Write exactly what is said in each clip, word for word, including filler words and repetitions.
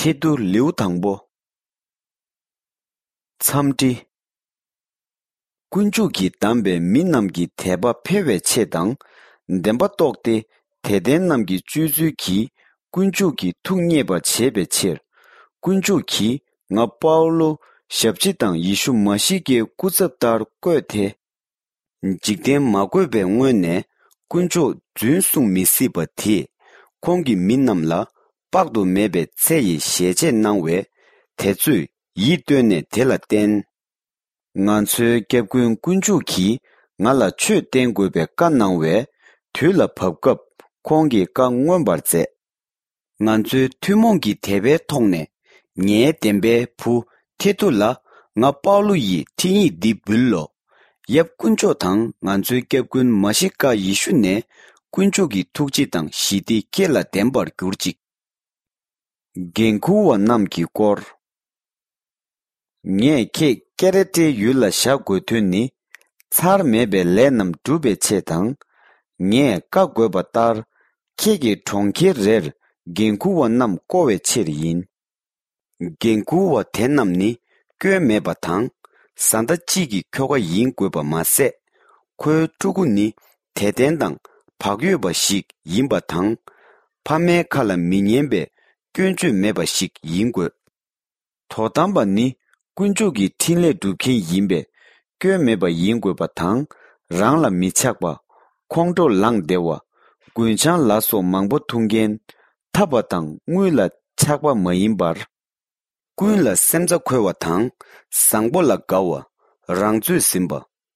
ཁྱེད་དུ་ལེའུ་དང་པོ། འཚམས་འདྲི། དཀོན་མཆོག་གིས་བདམས་པའི་མི་རྣམས་ཀྱི་དད་པ་འཕེལ་བའི་ཆེད་དང་། བདེན་པ་རྟོགས་ཏེ་དད་ལྡན་རྣམས་ཀྱི་སྤྱོད་ཚུལ་གྱིས་དཀོན་མཆོག་གི་ཐུགས་མཉེས་པར་བྱེད་པའི་ཕྱིར། དཀོན་མཆོག་གིས་ང་པའུ་ལོ་ཞབས་ཕྱི་དང་ཡེ་ཤུ་མ་ཤི་ཀའི་སྐུ་ཚབ་ལྟར་བསྐོས་ཏེ། འཇིག་རྟེན་མ་བསྐོས་པའི་སྔོན་ནས་དཀོན་མཆོག་རྫུན་གསུང་མི་སྲིད་པ་དེས་ཁོང་གི་མི་རྣམས་ལ་དཔག་ཏུ་མེད་པའི་ཚེ་ཡི་ཞལ་ཆད་གནང་བས། དེ་ཚོས་ཡིད་རྟོན་ནས་དེ་ལ་བརྟེན། ང་ཚོའི་སྐྱབས་མགོན་དཀོན་མཆོག་གིས་ང་ལ་ཆོས་བསྟན་དགོས་པའི་བཀའ་གནང་བས། དུས་ལ་བབ་སྐབས་ཁོང་གི་བཀའ་མངོན་པར་མཛད། ང་ཚོའི་ཐུན་མོང་གི་དད་པའི་ཐོག་ནས། ངའི་བདེན་པའི་བུ་ཐེ་ཏུ་ལ་ང་པའུ་ལུ་ཡིས་འཕྲིན་ཡིག་འདི་འབུལ་ལོ། ཡབ་དཀོན་མཆོག་དང་ང་ཚོའི་སྐྱབས་མགོན་མ་ཤི་ཀ་ཡེ་ཤུ་ནས་དཀོན་མཆོག་གི་ཐུགས་རྗེ་དང་ཞི་བདེ་ཁྱེད་ལ་ལྡན་པར་གྱུར་ཅིག། འགན་འཁུར་བ་རྣམས་ཀྱི་སྐོར། ངས་ཁྱེད་ཀེ་རེ་ཏའི་ཡུལ་ལ་བཞག་དགོས་དོན་ནི། ཚར་མེད་པའི་ལས་རྣམས་སྒྲུབ་པའི་ཆེད་དང་། ངས་བཀའ་བསྒོས་པ་ལྟར། ཁྱེད་ཀྱི་གྲོང་ཁྱེར་རེར་འགན་འཁུར་བ་རྣམས་བསྐོ་བའི་ཕྱིར་ཡིན། འགན་འཁུར་བ་དེ་རྣམས་ནི་སྐྱོན་མེད་པ་དང་། བཟའ་ཟླ་གཅིག་གི་ཁྱོ་ག་ཡིན་དགོས་པ་མ་ཟད། ཁོའི་ཕྲུ་གུ་ནི་དད་ལྡན་དང་བག་ཡོད་པ་ཞིག་ཡིན་པ་དང་། ཕ་མའི་ཁ་ལ་མི་ཉན་པའི་སྐྱོན་བརྗོད་མེད་པ་ཞིག་ཡིན་དགོས། དོ་དམ་པ་ནི་དཀོན་མཆོག་གི་འཕྲིན་ལས་སྒྲུབ་མཁན་ཡིན་པས། སྐྱོན་མེད་པ་ཡིན་དགོས་པ་དང་། རང་ལ་མི་ཆགས་པ། ཁོང་ཁྲོ་ལངས་བདེ་བ། རྒུན་ཆང་ལ་སོགས་མང་པོ་འཐུང་མཁན། འཐབ་པ་དང་དངུལ་ལ་ཆགས་པ་མ་ཡིན་པར། ཀུན་ལ་སེམས་རྩ་འཁོལ་བ་དང་། བཟང་པོ་ལ་དགའ་བ། རང་ཚོད་ཟིན་པ།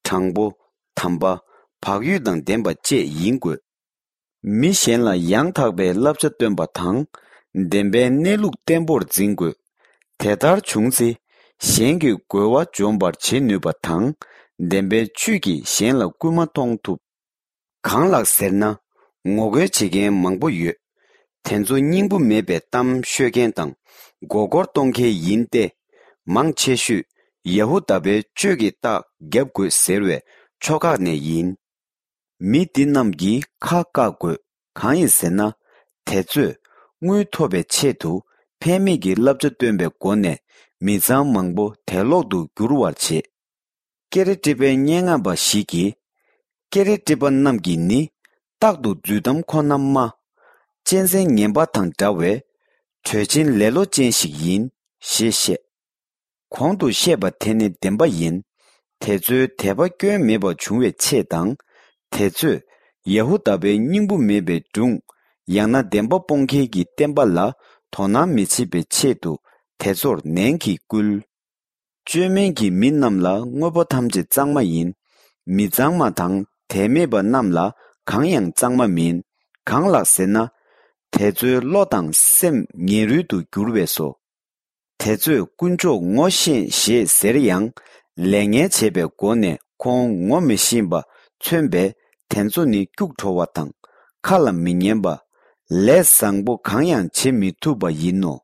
དྲང་པོ། དམ་པ། བག་ཡོད་དང་ལྡན་པ་བཅས་ཡིན་དགོས། མི་གཞན་ལ་ཡང་དག་པའི་བསླབ་བྱ་སྟོན་པ་དང་། བདེན་པའི་གནས་ལུགས་བརྟན་པོར་འཛིན་དགོས། དེ་ལྟར་བྱུང་ཚེ། གཞན་གྱི་རྒོལ་བ་འཇོམས་པར་བྱེད་ནུས་པ་དང་། བདེན་པའི་ཆོས་ཀྱིས་གཞན་ལ་སྐུལ་མ་གཏོང་ཐུབ། གང་ལགས་ཟེར་ན། ངོ་རྒོལ་བྱེད་མཁན་མང་པོ་ཡོད། དེ་ཚོ་སྙིང་པོ་མེད་པའི་གཏམ་ཤོད་མཁན་དང་། མགོ་སྐོར་གཏོང་མཁན་ཡིན་ཏེ། མང་ཆེ་ཤོས་ཡ་ཧུ་དཱ་པའི་ཆོས་ཀྱི་རྟགས་རྒྱབ་དགོས་ཟེར་བའི་ཕྱོགས་ཁག་ནས་ཡིན། མི་འདི་རྣམས་ཀྱིས་ཁ་བཀག་དགོས། གང་ཡིན་ཟེར་ན། དེ་ཚོས་དངུལ་ཐོབ་པའི་ཆེད་དུ་ཕན་མེད་ཀྱི་བསླབ་བྱ་སྟོན་པའི་སྒོ་ནས་མི་ཚང་མང་པོ་དད་ལོག་ཏུ་འགྱུར་བར་བྱེད། ཀེ་རེ་ཏི་པའི་སྙན་ངག་པ་ཞིག་གིས། ཀེ་རེ་ཏི་པ་རྣམས་ཀྱིས་ནི་རྟག་ཏུ་རྫུན་གཏམ་ཁོ་ན་སྨྲ། གཅན་གཟན་ངན་པ་དང་འདྲ་བའི་གྲོས་ཆེན་ལེ་ལོ་ཅན་ཞིག་ཡིན་ཞེས་བཤད། གོང་དུ་བཤད་པ་དེ་ནི་བདེན་པ་ཡིན། དེ་ཚོའི་དད་པ་སྐྱོན་མེད་པ་བྱུང་བའི་ཆེད་དང་། དེ་ཚོས་ཡ་ཧུ་དཱ་པའི་སྙིང་པོ་མེད་པའི་སྒྲུང་། ཡང་ན་བདེན་པ་སྤོང་མཁན་གྱི་བསྟན་པ་ལ་དོ་སྣང་མི་བྱེད་པའི་ཆེད་དུ་དེ་ཚོར་ནན་གྱིས་བསྐུལ། བཅོས་མིན་གྱི་མི་རྣམས་ལ་དངོས་པོ་ཐམས་ཅད་གཙང་མ་ཡིན། མི་གཙང་མ་དང་དད་མེད་པ་རྣམས་ལ་གང་ཡང་གཙང་མ་མིན། གང་ལགས་ཟེར་ན། དེ་ཚོའི་བློ་དང་སེམས་ངན་རུལ་དུ་གྱུར་བས་སོ། དེ་ཚོས་དཀོན་མཆོག་ངོ་ཤེས་ཞེས་ཟེར་ཡང་། ལས་ངན་བྱས་པའི་སྒོ་ནས་ཁོང་ངོ་མི་ཤེས་པ་མཚོན་པས། དེ་ཚོ་ནི་སྐྱུག་བྲོ་བ་དང་ཁ་ལ་མི་ཉན་པ། ལས་བཟང་པོ་གང་ཡང་བྱེད་མི་ཐུབ་པ་ཡིན་ནོ།